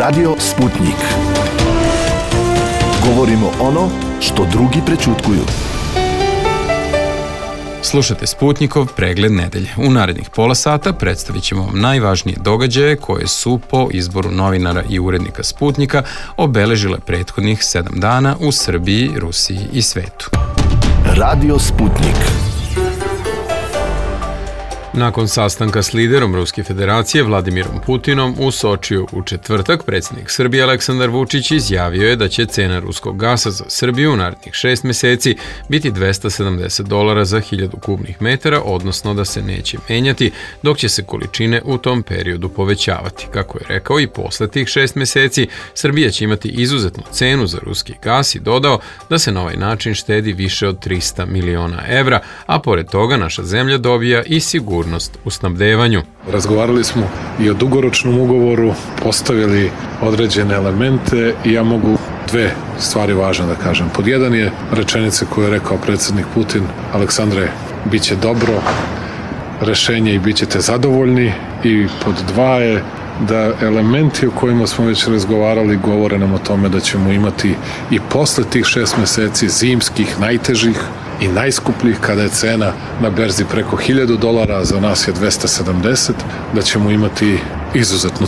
Radio Sputnik. Govorimo ono što drugi prećutkuju. Slušate Sputnikov pregled nedelje. U narednih pola sata predstavit ćemo vam najvažnije događaje koje su po izboru novinara i urednika Sputnika obeležile prethodnih 7 dana u Srbiji, Rusiji i svetu. Radio Sputnik. Nakon sastanka s liderom Ruske federacije Vladimirom Putinom u Sočiju u četvrtak, predsjednik Srbije Aleksandar Vučić izjavio je da će cena ruskog gasa za Srbiju u narednih 6 meseci biti $270 za 1000 kubnih metara, odnosno da se neće menjati, dok će se količine u tom periodu povećavati. Kako je rekao, i posle tih 6 meseci Srbija će imati izuzetnu cenu za ruski gas i dodao da se na ovaj način štedi više od 300 miliona evra, a pored toga naša zemlja dobija i sigurnost u snabdevanju. Razgovarali smo i o dugoročnom ugovoru, postavili određene elemente i ja mogu dve stvari važne da kažem. Pod jedan je rečenica koju je rekao predsjednik Putin: Aleksandre, bit će dobro rešenje i bit ćete zadovoljni. I pod dva je da elementi o kojima smo već razgovarali govore nam o tome da ćemo imati i posle tih 6 meseci zimskih, najtežih i najskupljih, kada je cena na berzi preko $1000, a za nas je 270, da ćemo imati izuzetnu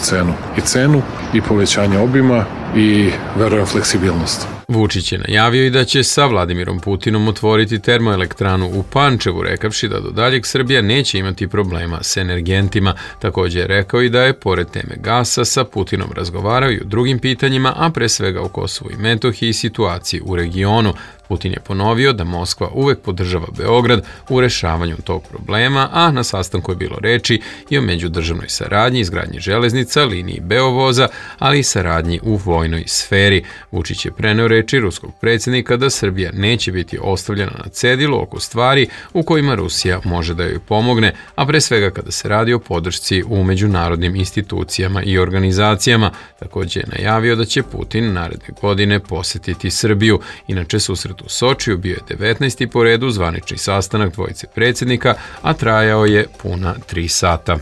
cenu i povećanje obima i, verujem, fleksibilnost. Vučić je najavio i da će sa Vladimirom Putinom otvoriti termoelektranu u Pančevu, rekavši da do daljeg Srbija neće imati problema s energentima. Također je rekao i da je, pored teme gasa, sa Putinom razgovarao i o drugim pitanjima, a pre svega o Kosovu i Metohiji i situaciji u regionu. Putin je ponovio da Moskva uvek podržava Beograd u rešavanju tog problema, a na sastanku je bilo reči i o međudržavnoj saradnji, izgradnji železnica, liniji Beovoza, ali i saradnji u vojnoj sferi. Vučić je preneo reči ruskog predsjednika da Srbija neće biti ostavljena na cedilu oko stvari u kojima Rusija može da joj pomogne, a pre svega kada se radi o podršci u međunarodnim institucijama i organizacijama. Također je najavio da će Putin naredne godine posetiti Srbiju. Inače, susret u Sočiju bio je 19. po redu zvanični sastanak dvojice predsjednika, a trajao je puna 3 sata.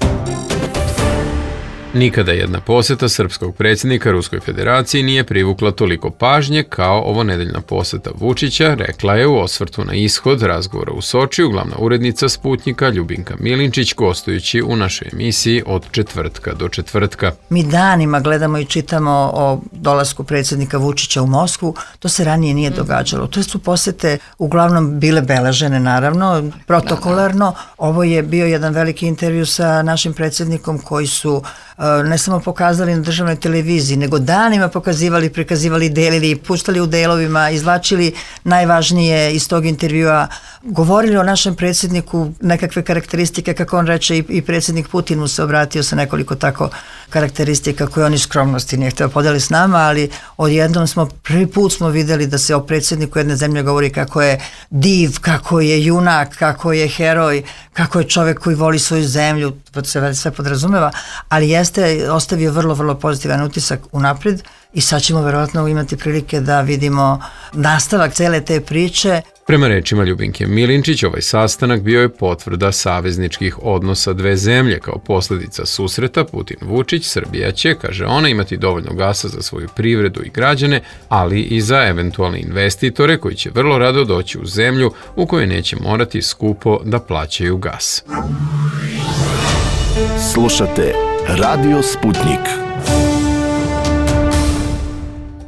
Nikada jedna poseta srpskog predsjednika Ruskoj federaciji nije privukla toliko pažnje kao ovonedeljna poseta Vučića, rekla je u osvrtu na ishod razgovora u Sočiju glavna urednica Sputnika Ljubinka Milinčić, gostujući u našoj emisiji Od četvrtka do četvrtka. Mi danima gledamo i čitamo o dolasku predsjednika Vučića u Moskvu, to se ranije nije događalo. To su posete uglavnom bile beležene, naravno, protokolarno. Ovo je bio jedan veliki intervju sa našim predsjednikom koji su ne samo pokazali na državnoj televiziji, nego danima pokazivali, prikazivali, delili, puštali u delovima, izvlačili najvažnije iz tog intervjua, govorili o našem predsjedniku, nekakve karakteristike, kako on reče, i predsjednik Putin mu se obratio sa nekoliko tako karakteristika koje on iz skromnosti nije htio podeli s nama, ali odjednom prvi put smo videli da se o predsjedniku jedne zemlje govori kako je div, kako je junak, kako je heroj, kako je čovjek koji voli svoju zemlju, to se sve podrazumeva, ali jeste ostavio vrlo, vrlo pozitivan utisak unapred i sad ćemo verovatno imati prilike da vidimo nastavak cele te priče. Prema rečima Ljubinke Milinčić, ovaj sastanak bio je potvrda savezničkih odnosa dve zemlje. Kao posljedica susreta Putin-Vučić, Srbija će, kaže ona, imati dovoljno gasa za svoju privredu i građane, ali i za eventualne investitore koji će vrlo rado doći u zemlju u kojoj neće morati skupo da plaćaju gas. Slušate Radio Sputnik.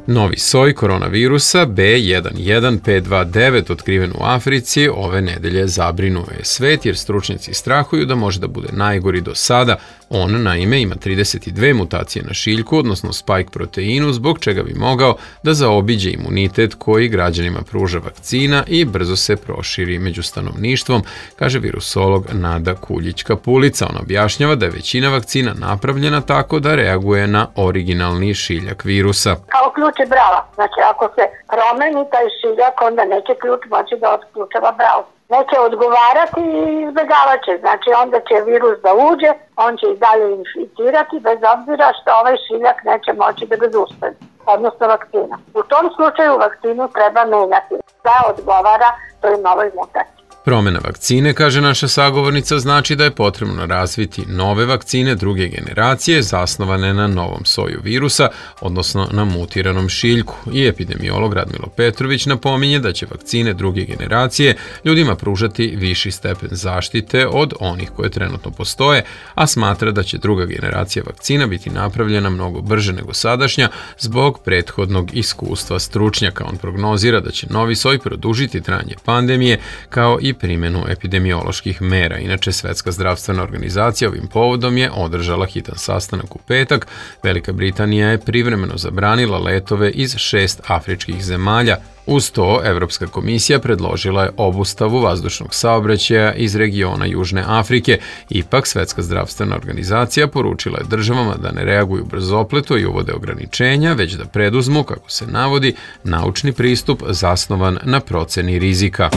Novi soj koronavirusa B11529 otkriven u Africi ove nedelje zabrinuo je svet jer stručnjaci strahuju da može da bude najgori do sada. On, naime, ima 32 mutacije na šiljku, odnosno spike proteinu, zbog čega bi mogao da zaobiđe imunitet koji građanima pruža vakcina i brzo se proširi među stanovništvom, kaže virusolog Nada Kuljić-Kapulica. On objašnjava da je većina vakcina napravljena tako da reaguje na originalni šiljak virusa. Kao ključ je brava. Znači, ako se promeni taj šiljak, onda neće ključ moći da otključava bravu. Neće odgovarati i izbjegavat će. Znači, onda će virus da uđe, on će i dalje inficirati, bez obzira što ovaj šiljak neće moći da ga zaustavi, odnosno vakcina. U tom slučaju vakcinu treba menjati da odgovara toj novoj mutaciji. Promjena vakcine, kaže naša sagovornica, znači da je potrebno razviti nove vakcine druge generacije zasnovane na novom soju virusa, odnosno na mutiranom šiljku. I epidemiolog Radmilo Petrović napominje da će vakcine druge generacije ljudima pružati viši stepen zaštite od onih koje trenutno postoje, a smatra da će druga generacija vakcina biti napravljena mnogo brže nego sadašnja zbog prethodnog iskustva stručnjaka. On prognozira da će novi soj produžiti trajanje pandemije kao i primjenu epidemioloških mera. Inače, Svetska zdravstvena organizacija ovim povodom je održala hitan sastanak u petak. Velika Britanija je privremeno zabranila letove iz 6 afričkih zemalja. Uz to, Evropska komisija predložila je obustavu vazdušnog saobraćaja iz regiona Južne Afrike. Ipak, Svetska zdravstvena organizacija poručila je državama da ne reaguju brzopleto i uvode ograničenja, već da preduzmu, kako se navodi, naučni pristup zasnovan na proceni rizika.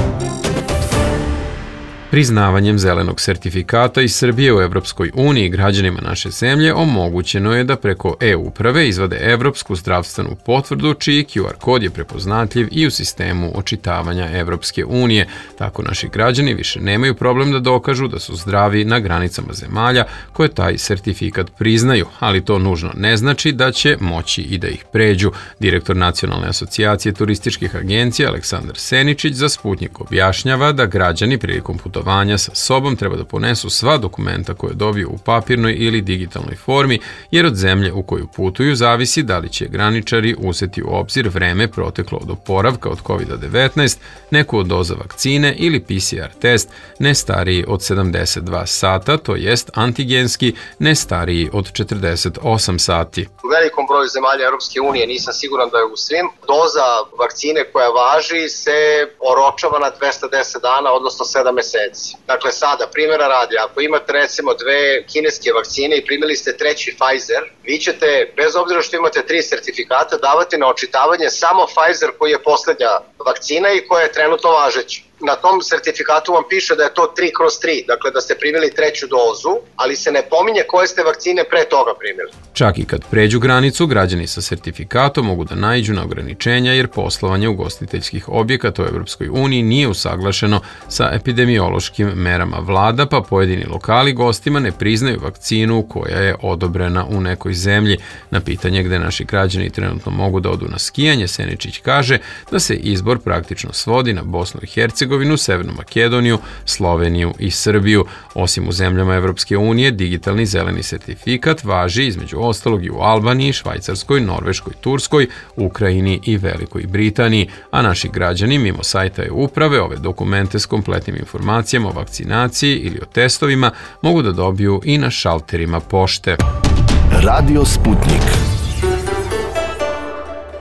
Priznavanjem zelenog sertifikata iz Srbije u Evropskoj uniji građanima naše zemlje omogućeno je da preko e-uprave izvade Evropsku zdravstvenu potvrdu čiji QR kod je prepoznatljiv i u sistemu očitavanja Evropske unije. Tako naši građani više nemaju problem da dokažu da su zdravi na granicama zemalja koje taj sertifikat priznaju, ali to nužno ne znači da će moći i da ih pređu. Direktor Nacionalne asocijacije turističkih agencija Aleksandar Seničić za Sputnik objašnjava da građani prilikom putovanja sa sobom treba da ponesu sva dokumenta koje dobiju u papirnoj ili digitalnoj formi, jer od zemlje u koju putuju zavisi da li će graničari uzeti u obzir vreme proteklo od oporavka od COVID-19, neku od doza vakcine ili PCR test ne stariji od 72 sata, to jest antigenski ne stariji od 48 sati. U velikom broju zemalja Europske unije, nisam siguran da je u svim, doza vakcine koja važi se oročava na 210 dana, odnosno 7 meseci. Dakle, sada, primjera radi, ako imate recimo 2 kineske vakcine i primili ste 3. Pfizer, vi ćete, bez obzira što imate 3 sertifikata, davati na očitavanje samo Pfizer koji je poslednja vakcina i koja je trenutno važeća. Na tom sertifikatu vam piše da je to 3/3, dakle da ste primili 3. dozu, ali se ne pominje koje ste vakcine pre toga primili. Čak i kad pređu granicu, građani sa sertifikatom mogu da naiđu na ograničenja jer poslovanje ugostiteljskih objekata u Evropskoj uniji nije usaglašeno sa epidemiološkim merama vlada, pa pojedini lokali gostima ne priznaju vakcinu koja je odobrena u nekoj zemlji. Na pitanje gde naši građani trenutno mogu da odu na skijanje, Seničić kaže da se izbor praktično svodi na Bosnu i Hercegovinu, Severnu Makedoniju, Sloveniju i Srbiju. Osim u zemljama Evropske unije, digitalni zeleni sertifikat važi između ostalog i u Albaniji, Švajcarskoj, Norveškoj, Turskoj, Ukrajini i Velikoj Britaniji, a naši građani mimo sajta e-uprave ove dokumente s kompletnim informacijama o vakcinaciji ili o testovima mogu da dobiju i na šalterima pošte. Radio Sputnik.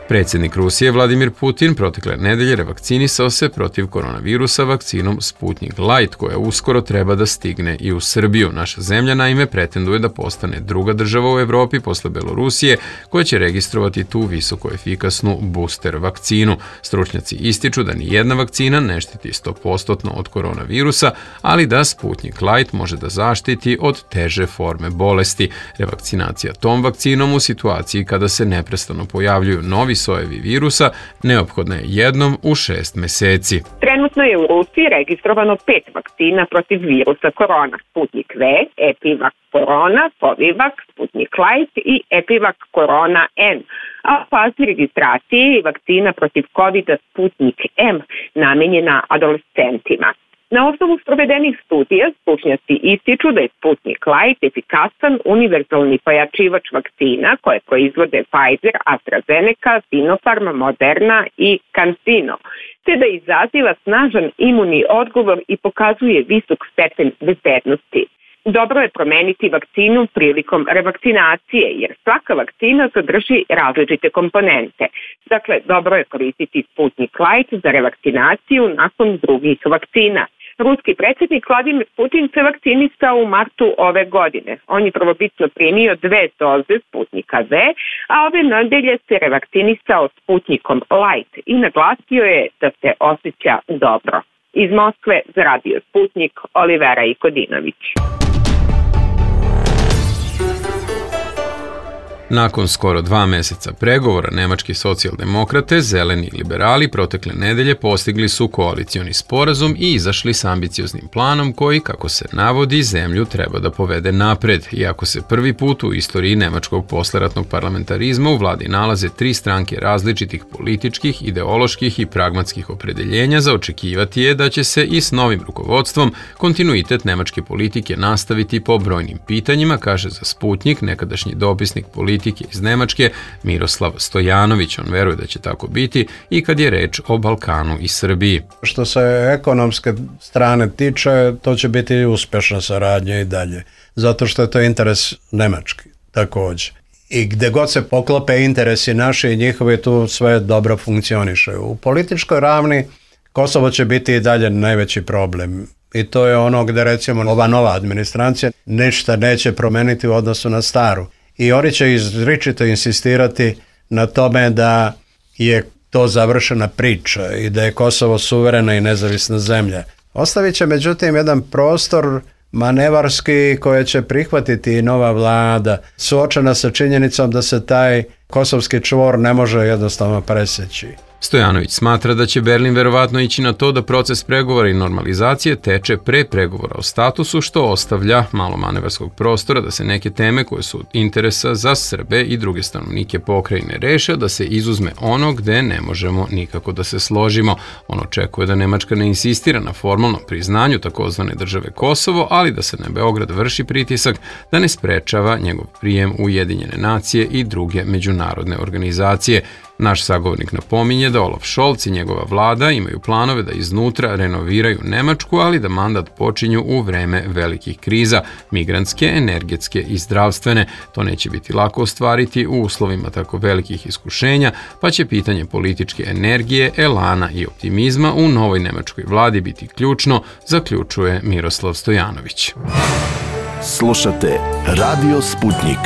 Predsjednik Rusije Vladimir Putin protekle nedelje revakcinisao se protiv koronavirusa vakcinom Sputnik Light, koja uskoro treba da stigne i u Srbiju. Naša zemlja naime pretenduje da postane druga država u Evropi posle Belorusije koja će registrovati tu visoko efikasnu booster vakcinu. Stručnjaci ističu da ni jedna vakcina ne štiti 100% od koronavirusa, ali da Sputnik Light može da zaštiti od teže forme bolesti. Revakcinacija tom vakcinom u situaciji kada se neprestano pojavljuju novi sojevi virusa neophodna je jednom u 6 meseci. Trenutno je u Rusiji registrovano 5 vakcina protiv virusa korona: Sputnik V, Epivac Corona, Povivac, Sputnik Light i Epivac Corona N. A u fazi registracije je vakcina protiv COVID-a Sputnik M namenjena adolescentima. Na osnovu sprovedenih studija, stručnjaci ističu da je Sputnik Light efikasan univerzalni pojačivač vakcina koje proizvode Pfizer, AstraZeneca, Sinopharm, Moderna i CanSino, te da izaziva snažan imunni odgovor i pokazuje visok stepen bezbednosti. Dobro je promeniti vakcinu prilikom revakcinacije, jer svaka vakcina sadrži različite komponente. Dakle, dobro je koristiti Sputnik Light za revakcinaciju nakon drugih vakcina. Ruski predsjednik Vladimir Putin se vakcinisao u martu ove godine. On je prvobitno primio 2 doze Sputnika V, a ove nedelje se revakcinisao Sputnikom Light i naglasio je da se osjeća dobro. Iz Moskve za Radio Sputnik, Olivera Ikodinović. Nakon skoro 2 meseca pregovora, nemački socijaldemokrate, zeleni i liberali protekle nedelje postigli su koalicioni sporazum i izašli s ambicioznim planom koji, kako se navodi, zemlju treba da povede napred, iako se prvi put u istoriji nemačkog posleratnog parlamentarizma u vladi nalaze 3 stranke različitih političkih, ideoloških i pragmatskih opredeljenja, za očekivati je da će se i s novim rukovodstvom kontinuitet nemačke politike nastaviti po brojnim pitanjima, kaže za Sputnjik nekadašnji dopisnik politike iz Nemačke Miroslav Stojanović. On veruje da će tako biti i kad je reč o Balkanu i Srbiji. Što se ekonomske strane tiče, to će biti uspešna saradnja i dalje, zato što je to interes Nemački također. I gde god se poklope interesi naši i njihovi, tu sve dobro funkcioniše. U političkoj ravni Kosovo će biti i dalje najveći problem. I to je ono gde, recimo, ova nova administracija ništa neće promeniti u odnosu na staru. I oni će izričito insistirati na tome da je to završena priča i da je Kosovo suverena i nezavisna zemlja. Ostavit će međutim jedan prostor manevarski koje će prihvatiti i nova vlada, suočena sa činjenicom da se taj kosovski čvor ne može jednostavno preseći. Stojanović smatra da će Berlin verovatno ići na to da proces pregovora i normalizacije teče pre pregovora o statusu, što ostavlja malo manevarskog prostora da se neke teme koje su od interesa za Srbe i druge stanovnike pokrajine reše, da se izuzme ono gde ne možemo nikako da se složimo. On očekuje da Nemačka ne insistira na formalnom priznanju takozvane države Kosovo, ali da se na Beograd vrši pritisak da ne sprečava njegov prijem u Ujedinjene nacije i druge međunarodne organizacije. Naš sagovornik napominje da Olaf Scholz i njegova vlada imaju planove da iznutra renoviraju Nemačku, ali da mandat počinju u vreme velikih kriza, migrantske, energetske i zdravstvene. To neće biti lako ostvariti u uslovima tako velikih iskušenja, pa će pitanje političke energije, elana i optimizma u novoj nemačkoj vladi biti ključno, zaključuje Miroslav Stojanović. Slušate Radio Sputnjik.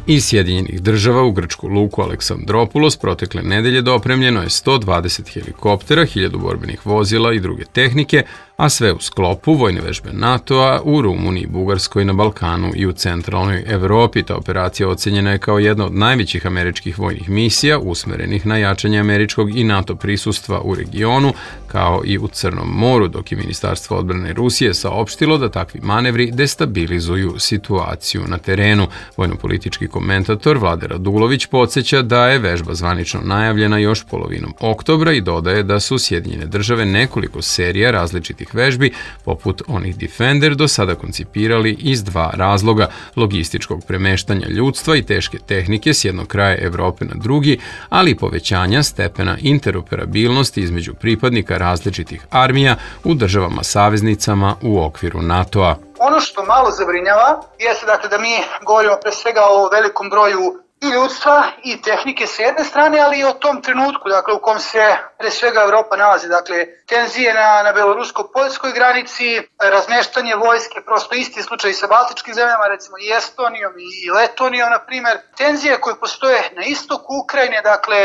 Iz Sjedinjenih država u grčku luku Aleksandropulos protekle nedelje dopremljeno je 120 helikoptera, 1000 borbenih vozila i druge tehnike, a sve u sklopu vojne vežbe NATO-a u Rumuniji, Bugarskoj, na Balkanu i u centralnoj Evropi. Ta operacija ocenjena je kao jedna od najvećih američkih vojnih misija usmerenih na jačanje američkog i NATO prisustva u regionu, kao i u Crnom moru, dok je Ministarstvo odbrane Rusije saopštilo da takvi manevri destabilizuju situaciju na terenu. Vojnopolitički komentator Vlade Radulović podsjeća da je vežba zvanično najavljena još polovinom oktobra i dodaje da su Sjedinjene države nekoliko serija različitih vežbi, poput onih Defender, do sada koncipirali iz 2 razloga: logističkog premeštanja ljudstva i teške tehnike s jednog kraja Evrope na drugi, ali i povećanja stepena interoperabilnosti između pripadnika različitih armija u državama saveznicama u okviru NATO-a. Ono što malo zabrinjava jeste dakle da mi govorimo pre svega o velikom broju i ljudstva i tehnike s jedne strane, ali i o tom trenutku dakle u kom se pre svega Evropa nalazi. Dakle, tenzije na belorusko-poljskoj granici, razmeštanje vojske, prosto isti slučaj sa baltičkim zemljama, recimo i Estonijom i Letonijom, na primjer. Tenzije koje postoje na istoku Ukrajine, dakle,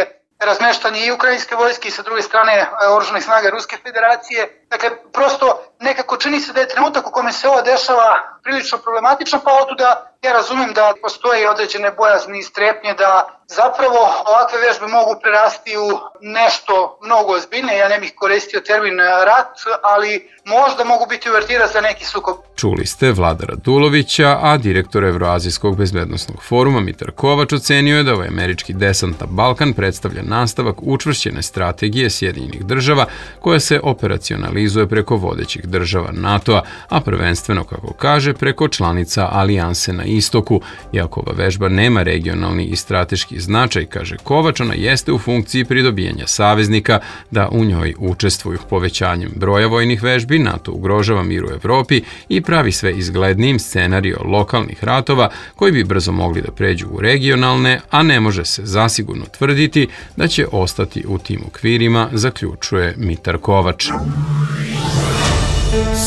razmeštanje i ukrajinske vojske i sa druge strane oružanih snaga Ruske federacije. Dakle, prosto nekako čini se da je trenutak u kome se ovo dešava prilično problematično, pa otuda ja razumem da postoje određene bojazni i strepnje da zapravo ovakve vežbe mogu prerasti u nešto mnogo ozbiljnije. Ja ne bih koristio termin rat, ali možda mogu biti uvertira za neki sukob. Čuli ste Vlada Radulovića, a direktor Evroazijskog bezbednosnog foruma Mitar Kovač ocenio je da ovaj američki desant na Balkan predstavlja nastavak učvršćene strategije Sjedinjenih država koja se operacionalizuje preko vodećih država NATO-a, a prvenstveno, kako kaže, preko članica alijanse na istoku. Iako ova vežba nema regionalni i strateški značaj, kaže Kovač, ona jeste u funkciji pridobijanja saveznika da u njoj učestvuju. Povećanjem broja vojnih vežbi NATO ugrožava mir u Evropi i pravi sve izglednijim scenario lokalnih ratova koji bi brzo mogli da pređu u regionalne, a ne može se zasigurno tvrditi da će ostati u tim okvirima, zaključuje Mitar Kovač.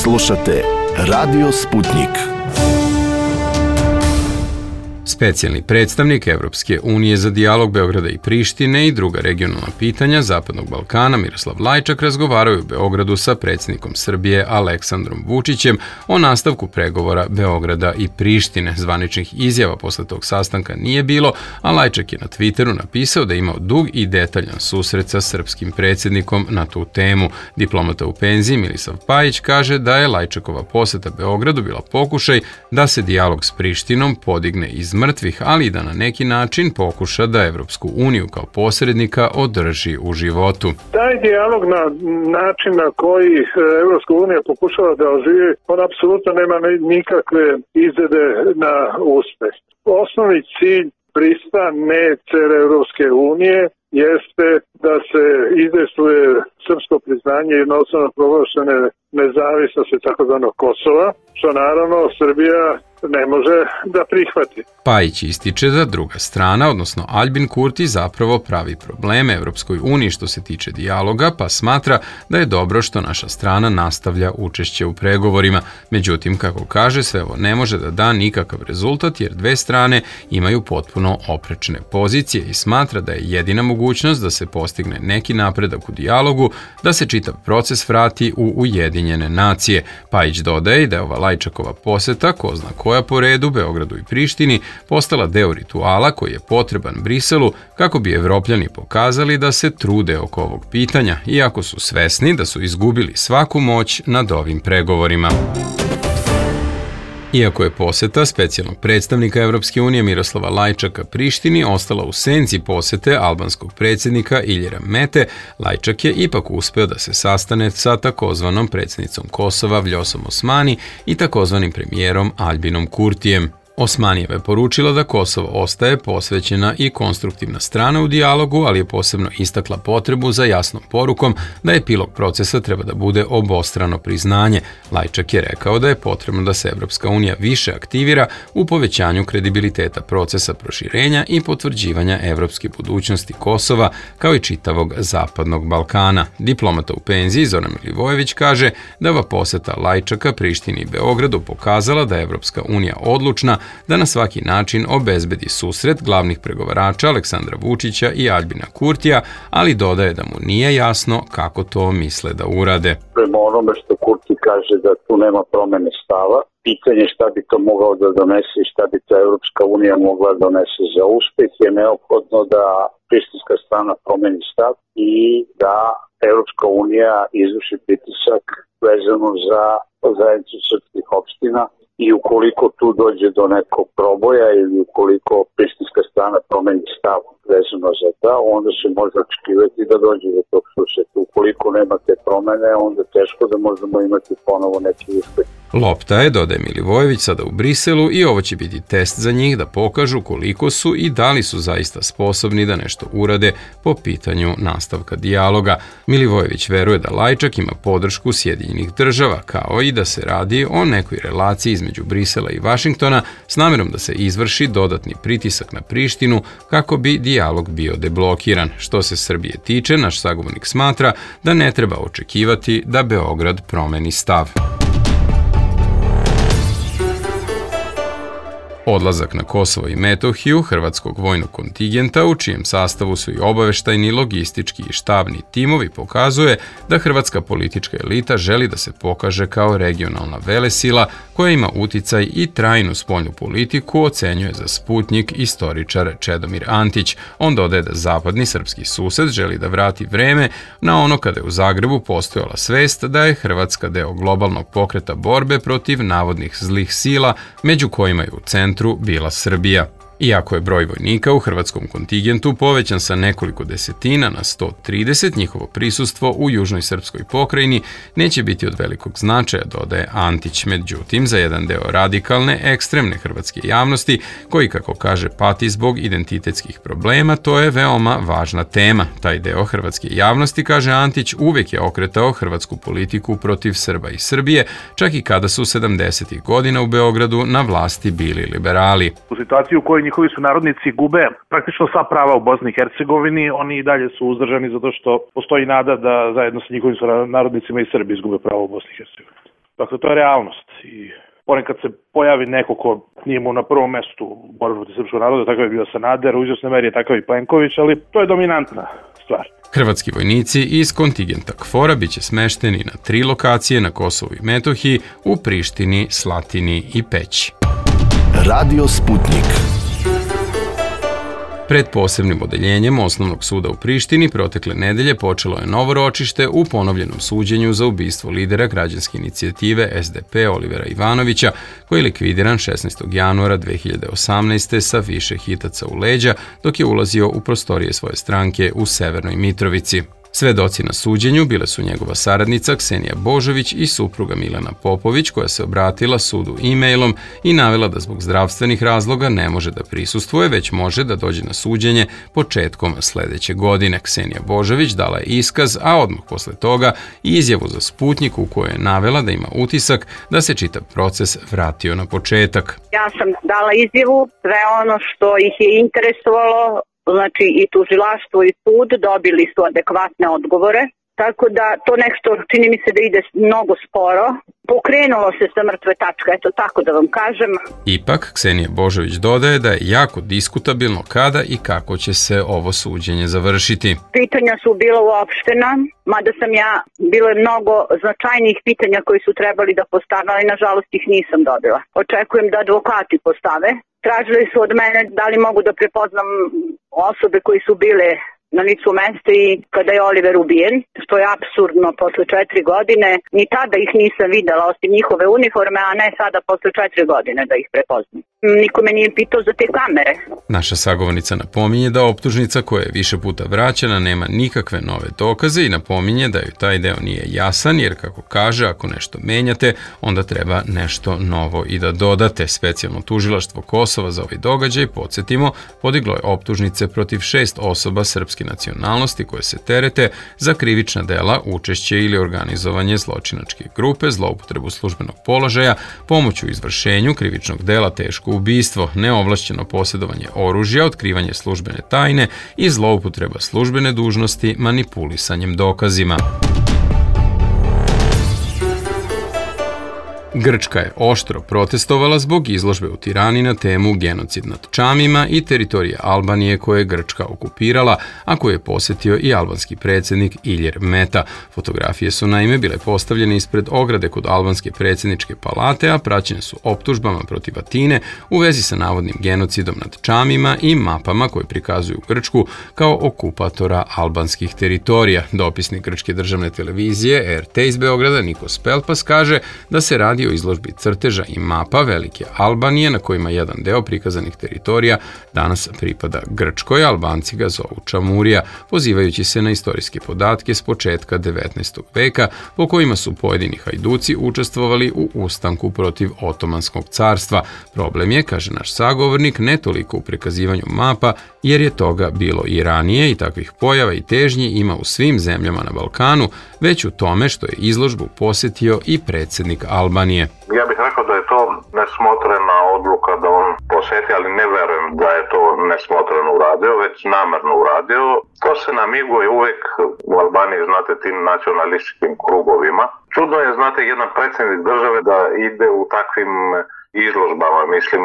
Slušate Radio Sputnjik. Specijalni predstavnik Evropske unije za dijalog Beograda i Prištine i druga regionalna pitanja Zapadnog Balkana Miroslav Lajčak razgovarao u Beogradu sa predsjednikom Srbije Aleksandrom Vučićem o nastavku pregovora Beograda i Prištine. Zvaničnih izjava posle tog sastanka nije bilo, a Lajčak je na Twitteru napisao da je imao dug i detaljan susret sa srpskim predsjednikom na tu temu. Diplomata u penziji Milisav Pajić kaže da je Lajčakova poseta Beogradu bila pokušaj da se dijalog s Prištinom podigne iz mrtvih, ali i da na neki način pokuša da Evropsku uniju kao posrednika održi u životu. Taj dijalog na način na koji Evropska unija pokušava da oživi, on apsolutno nema nikakve izglede na uspeh. Osnovni cilj pristane cele Evropske unije jeste da se izdejstvuje srpsko priznanje jednostavno proglašene nezavisnosti takozvanog Kosova, što naravno Srbija ne može da prihvati. Pajić ističe da druga strana, odnosno Aljbin Kurti, zapravo pravi probleme Evropskoj uniji što se tiče dijaloga, pa smatra da je dobro što naša strana nastavlja učešće u pregovorima. Međutim, kako kaže, sve ovo ne može da da nikakav rezultat jer dve strane imaju potpuno oprečne pozicije i smatra da je jedina mogućnost da se postigne neki napredak u dijalogu, da se čitav proces vrati u Ujedinjene nacije. Pajić dodaje da je ova Lajčakova poseta, ko zna koja po redu Beogradu i Prištini, postala deo rituala koji je potreban Briselu kako bi Evropljani pokazali da se trude oko ovog pitanja, iako su svesni da su izgubili svaku moć nad ovim pregovorima. Iako je poseta specijalnog predstavnika Evropske unije Miroslava Lajčaka Prištini ostala u senci posete albanskog predsjednika Iljira Mete, Lajčak je ipak uspeo da se sastane sa takozvanom predsjednicom Kosova Vljosom Osmani i takozvanim premijerom Aljbinom Kurtijem. Osmanijeva je poručila da Kosovo ostaje posvećena i konstruktivna strana u dijalogu, ali je posebno istakla potrebu za jasnom porukom da epilog procesa treba da bude obostrano priznanje. Lajčak je rekao da je potrebno da se Evropska unija više aktivira u povećanju kredibiliteta procesa proširenja i potvrđivanja evropske budućnosti Kosova, kao i čitavog Zapadnog Balkana. Diplomata u penziji Zoran Milivojević kaže da ova poseta Lajčaka Prištini i Beogradu pokazala da je Evropska unija odlučna da na svaki način obezbedi susret glavnih pregovarača Aleksandra Vučića i Aljbina Kurtija, ali dodaje da mu nije jasno kako to misle da urade. Prema onome što Kurti kaže da tu nema promene stava, pitanje šta bi to mogao da donese i šta bi to Evropska unija mogla da donese za uspeh je neophodno da prištinska strana promeni stav i da Evropska unija izvrši pritisak vezano za zajednicu srpskih opština. I ukoliko tu dođe do nekog proboja ili ukoliko prištinska strana promeni stav vezano za to, onda se može očekivati da dođe do tog susreta. Ukoliko nema te promene, onda teško da možemo imati ponovo neki uspeh. Lopta je, dodaje Milivojević, sada u Briselu i ovo će biti test za njih da pokažu koliko su i da li su zaista sposobni da nešto urade po pitanju nastavka dijaloga. Milivojević veruje da Lajčak ima podršku Sjedinjenih država, kao i da se radi o nekoj relaciji između Brisela i Vašingtona s namjerom da se izvrši dodatni pritisak na Prištinu kako bi dijalog bio deblokiran. Što se Srbije tiče, naš sagovornik smatra da ne treba očekivati da Beograd promeni stav. Odlazak na Kosovo i Metohiju hrvatskog vojnog kontingenta, u čijem sastavu su i obaveštajni, logistički i štabni timovi, pokazuje da hrvatska politička elita želi da se pokaže kao regionalna velesila koja ima uticaj i trajnu spoljnu politiku, ocenjuje za Sputnjik istoričar Čedomir Antić. On dodaje da zapadni srpski sused želi da vrati vreme na ono kada je u Zagrebu postojala svest da je Hrvatska deo globalnog pokreta borbe protiv navodnih zlih sila, među kojima je u centru bila Srbija. Iako je broj vojnika u hrvatskom kontingentu povećan sa nekoliko desetina na 130, njihovo prisustvo u južnoj srpskoj pokrajini neće biti od velikog značaja, dodaje Antić. Međutim, za jedan deo radikalne, ekstremne hrvatske javnosti, koji, kako kaže, pati zbog identitetskih problema, to je veoma važna tema. Taj deo hrvatske javnosti, kaže Antić, uvijek je okretao hrvatsku politiku protiv Srba i Srbije, čak i kada su 70. godina u Beogradu na vlasti bili liberali. U situaciji u kojoj njihovi sunarodnici gube praktično sva prava u Bosni i Hercegovini, oni i dalje su uzdržani zato što postoji nada da zajedno sa njihovim sunarodnicima i Srbi izgube pravo u Bosni i Hercegovini. Dakle, to je realnost i ponekad se pojavi neko ko nije mu na prvom mestu u borbi protiv srpskog naroda, takav je bio Sanader, u izvjesnoj meri je takav i Plenković, ali to je dominantna stvar. Hrvatski vojnici iz kontingenta KFOR-a biće smešteni na 3 lokacije na Kosovu i Metohiji, u Prištini, Slatini i Peći. Radio Sputnik. Pred posebnim odeljenjem Osnovnog suda u Prištini protekle nedelje počelo je novo ročište u ponovljenom suđenju za ubistvo lidera građanske inicijative SDP Olivera Ivanovića, koji je likvidiran 16. januara 2018. sa više hitaca u leđa dok je ulazio u prostorije svoje stranke u Severnoj Mitrovici. Svedoci na suđenju bile su njegova saradnica Ksenija Božović i supruga Milena Popović, koja se obratila sudu e-mailom i navela da zbog zdravstvenih razloga ne može da prisustvuje, već može da dođe na suđenje početkom sledeće godine. Ksenija Božović dala je iskaz, a odmah posle toga i izjavu za Sputnik u kojoj je navela da ima utisak da se čitav proces vratio na početak. Ja sam dala izjavu, sve ono što ih je interesovalo, znači i tužilaštvo i sud dobili su adekvatne odgovore, tako da to nešto čini mi se da ide mnogo sporo. Pokrenulo se sa mrtve tačke, eto tako da vam kažem. Ipak, Ksenija Božović dodaje da je jako diskutabilno kada i kako će se ovo suđenje završiti. Pitanja su bila uopštena, mada sam ja, bilo je mnogo značajnijih pitanja koji su trebali da postave, ali nažalost ih nisam dobila. Očekujem da advokati postave. Tražili su od mene da li mogu da prepoznam osobe koji su bile na licu mesta i kada je Oliver ubijen, što je apsurdno posle 4 godine. Ni tada ih nisam videla, osim njihove uniforme, a ne sada posle 4 godine da ih prepoznam. Niko me nije pitao za te kamere. Naša sagovornica napominje da optužnica koja je više puta vraćena nema nikakve nove dokaze i napominje da joj taj deo nije jasan, jer kako kaže, ako nešto menjate, onda treba nešto novo i da dodate. Specijalno tužilaštvo Kosova za ovaj događaj, podsjetimo, podiglo je optužnice protiv 6 osoba srpske nacionalnosti koje se terete za krivična dela, učešće ili organizovanje zločinačke grupe, zloupotrebu službenog položaja, pomoć u izvršenju krivičnog dela teško ubistvo, neovlašćeno posjedovanje oružja, otkrivanje službene tajne i zloupotreba službene dužnosti manipulisanjem dokazima. Grčka je oštro protestovala zbog izložbe u Tirani na temu genocid nad Čamima i teritorije Albanije koje je Grčka okupirala, a koje je posjetio i albanski predsjednik Ilir Meta. Fotografije su naime bile postavljene ispred ograde kod albanske predsjedničke palate, a praćene su optužbama protiv Atine u vezi sa navodnim genocidom nad Čamima i mapama koje prikazuju Grčku kao okupatora albanskih teritorija. Dopisnik grčke državne televizije RT iz Beograda Nikos Pelpas kaže da se radi o izložbi crteža i mapa Velike Albanije na kojima jedan deo prikazanih teritorija danas pripada Grčkoj, Albanci ga zovu Čamurija, pozivajući se na istorijske podatke s početka 19. veka po kojima su pojedini hajduci učestvovali u ustanku protiv Otomanskog carstva. Problem je, kaže naš sagovornik, ne toliko u prikazivanju mapa, jer je toga bilo i ranije i takvih pojava i težnji ima u svim zemljama na Balkanu, već u tome što je izložbu posjetio i predsjednik Albanije. Ja bih rekao da je to nesmotrena odluka da on posjeti, ali ne verujem da je to nesmotreno uradio, već namerno uradio. To se namiguje uvijek u Albaniji, znate, tim nacionalističkim krugovima. Čudno je, znate, jedan predsjednik države da ide u takvim izložbama. Mislim,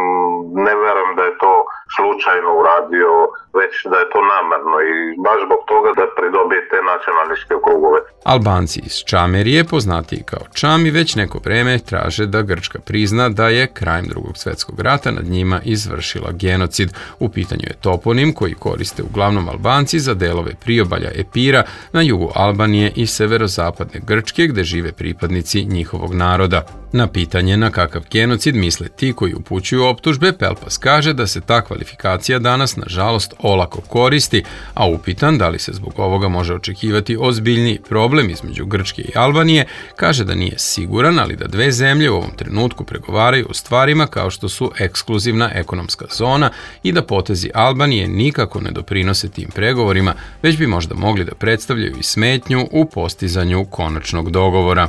ne verujem da je to slučajno uradio, već da je to namerno i baš zbog toga da pridobije te nacionalističke krugove. Albanci iz Čamerije, poznatiji kao Čami, već neko vreme traže da Grčka prizna da je krajem Drugog svjetskog rata nad njima izvršila genocid. U pitanju je toponim koji koriste uglavnom Albanci za delove priobalja Epira na jugu Albanije i severozapadne Grčke, gde žive pripadnici njihovog naroda. Na pitanje na kakav genocid misle ti koji upućuju optužbe, Pelpas kaže da se ta kvalifikacija danas nažalost olako koristi, a upitan da li se zbog ovoga može očekivati ozbiljniji problem između Grčke i Albanije, kaže da nije siguran, ali da dve zemlje u ovom trenutku pregovaraju o stvarima kao što su ekskluzivna ekonomska zona i da potezi Albanije nikako ne doprinose tim pregovorima, već bi možda mogli da predstavljaju i smetnju u postizanju konačnog dogovora.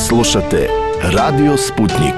Slušate Radio Sputnik.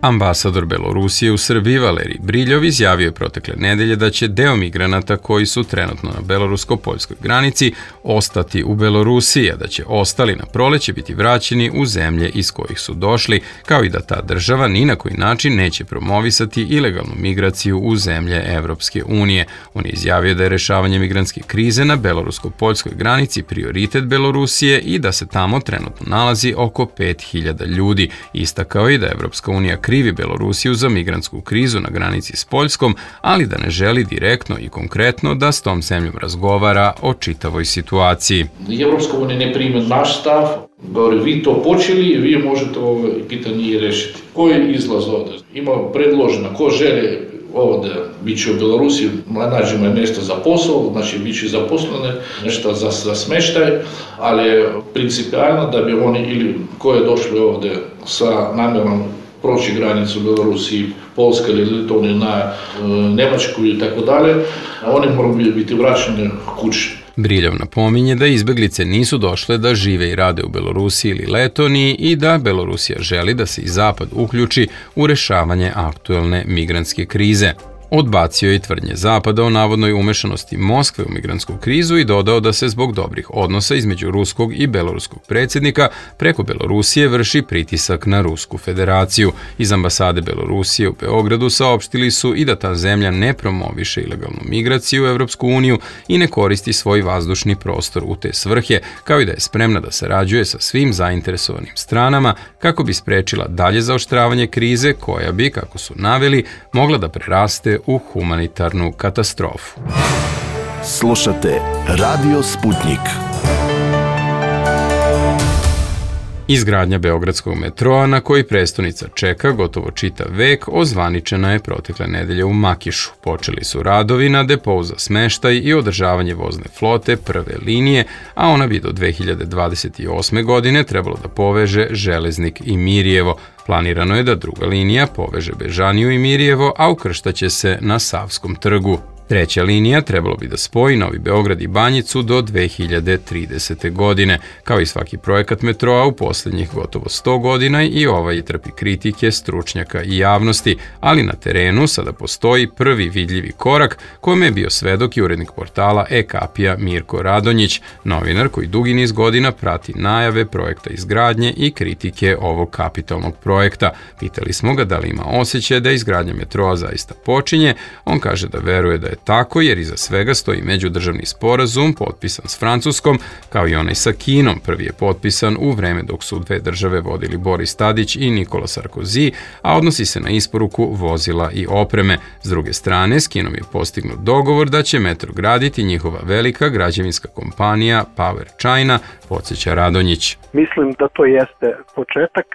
Ambasador Belorusije u Srbiji Valerij Briljov izjavio je protekle nedelje da će deo migranata koji su trenutno na belorusko-poljskoj granici ostati u Belorusiji, a da će ostali na proleće biti vraćeni u zemlje iz kojih su došli, kao i da ta država ni na koji način neće promovisati ilegalnu migraciju u zemlje Evropske unije. On je izjavio da je rešavanje migrantske krize na belorusko-poljskoj granici prioritet Belorusije i da se tamo trenutno nalazi oko 5000 ljudi. Istakao je da Evropska unija krivi Belorusiju za migrantsku krizu na granici s Poljskom, ali da ne želi direktno i konkretno da s tom zemljom razgovara o čitavoj situaciji. Evropska unija ne prime naš stav, govori vi to počeli, vi možete ovo pitanje i rešiti. Koji je izlaz ovde? Ima predloženo, ko želi ovde bit će u Belorusiji, nađemo je nešto za posao, znači bit će zaposlene, nešto za smeštaj, ali principijalno da bi oni ili ko je došli ovde sa namjerom proći granicu u Belorusiji, Polska ili Litovnija na Nemačku i tako dalje, oni moraju biti vraćeni kući. Briljov napominje da izbeglice nisu došle da žive i rade u Belorusiji ili Letoniji i da Belorusija želi da se i Zapad uključi u rešavanje aktuelne migrantske krize. Odbacio je i tvrdnje Zapada o navodnoj umešanosti Moskve u migrantsku krizu i dodao da se zbog dobrih odnosa između ruskog i beloruskog predsjednika preko Belorusije vrši pritisak na Rusku federaciju. Iz ambasade Belorusije u Beogradu saopštili su i da ta zemlja ne promoviše ilegalnu migraciju u Evropsku uniju i ne koristi svoj vazdušni prostor u te svrhe, kao i da je spremna da sarađuje sa svim zainteresovanim stranama kako bi sprečila dalje zaoštravanje krize koja bi, kako su naveli, mogla da preraste u humanitarnu katastrofu. Slušate Radio Sputnik. Izgradnja beogradskog metroa na koji prestonica čeka gotovo čitav vek ozvaničena je protekle nedelje u Makišu. Počeli su radovi na depou za smeštaj i održavanje vozne flote prve linije, a ona bi do 2028. godine trebalo da poveže Železnik i Mirjevo. Planirano je da druga linija poveže Bežaniju i Mirjevo, a ukrštaće se na Savskom trgu. Treća linija trebalo bi da spoji Novi Beograd i Banjicu do 2030. godine. Kao i svaki projekat metroa u posljednjih gotovo 100 godina i ovaj trpi kritike stručnjaka i javnosti, ali na terenu sada postoji prvi vidljivi korak kome je bio svedok i urednik portala e-Kapija Mirko Radonjić, novinar koji dugi niz godina prati najave projekta izgradnje i kritike ovog kapitalnog projekta. Pitali smo ga da li ima osjećaj da izgradnja metroa zaista počinje. On kaže da veruje da je tako jer iza svega stoji međudržavni sporazum potpisan s Francuskom, kao i onaj sa Kinom. Prvi je potpisan u vreme dok su dve države vodili Boris Tadić i Nikola Sarkozy, a odnosi se na isporuku vozila i opreme. S druge strane, s Kinom je postignut dogovor da će metro graditi njihova velika građevinska kompanija Power China, podsjeća Radonjić. Mislim da to jeste početak.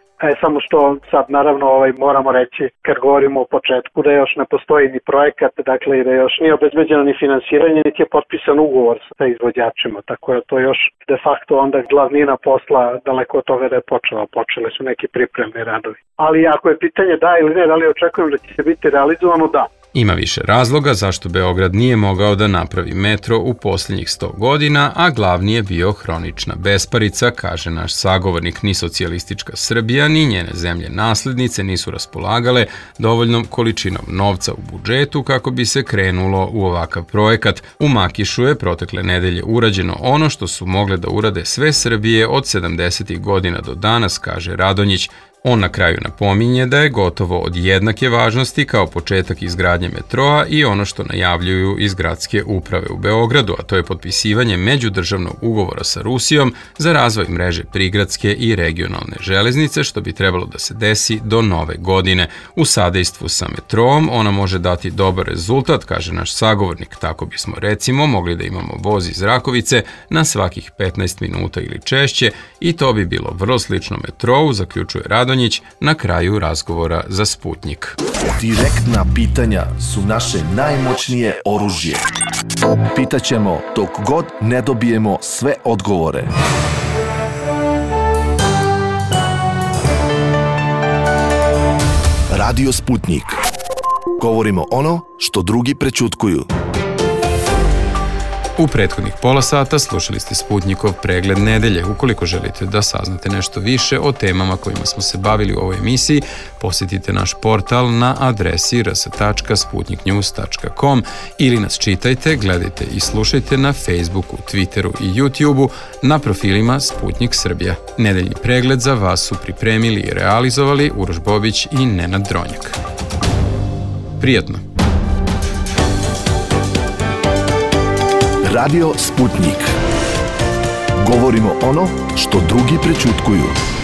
Samo što sad naravno moramo reći kad govorimo o početku da još ne postoji ni projekat, dakle i da još nije obezbeđeno ni finansiranje, niti je potpisan ugovor sa izvođačima, tako je to još de facto onda glavnina posla daleko od toga da je počele su neki pripremni radovi. Ali ako je pitanje da ili ne, da li očekujem da će se biti realizovano, da. Ima više razloga zašto Beograd nije mogao da napravi metro u posljednjih 100 godina, a glavni je bio hronična besparica, kaže naš sagovornik. Ni socijalistička Srbija, ni njene zemlje naslednice nisu raspolagale dovoljnom količinom novca u budžetu kako bi se krenulo u ovakav projekat. U Makišu je protekle nedelje urađeno ono što su mogle da urade sve Srbije od 70. godina do danas, kaže Radonjić. On na kraju napominje da je gotovo od jednake važnosti kao početak izgradnje metroa i ono što najavljuju iz gradske uprave u Beogradu, a to je potpisivanje međudržavnog ugovora sa Rusijom za razvoj mreže prigradske i regionalne železnice, što bi trebalo da se desi do nove godine. U sadejstvu sa metroom ona može dati dobar rezultat, kaže naš sagovornik. Tako bismo recimo mogli da imamo voz iz Rakovice na svakih 15 minuta ili češće i to bi bilo vrlo slično metrou, zaključuje Radonjić na kraju razgovora za Sputnik. Direktna pitanja su naše najmoćnije oružje. Pitaćemo dok god ne dobijemo sve odgovore. Radio Sputnik. Govorimo ono što drugi prećutkuju. U prethodnih pola sata slušali ste Sputnikov pregled nedelje. Ukoliko želite da saznate nešto više o temama kojima smo se bavili u ovoj emisiji, posjetite naš portal na adresi rs.sputniknews.com ili nas čitajte, gledajte i slušajte na Facebooku, Twitteru i YouTubeu na profilima Sputnik Srbija. Nedeljni pregled za vas su pripremili i realizovali Uroš Bobić i Nenad Dronjak. Prijatno! Radio Sputnik. Govorimo ono što drugi prećutkuju.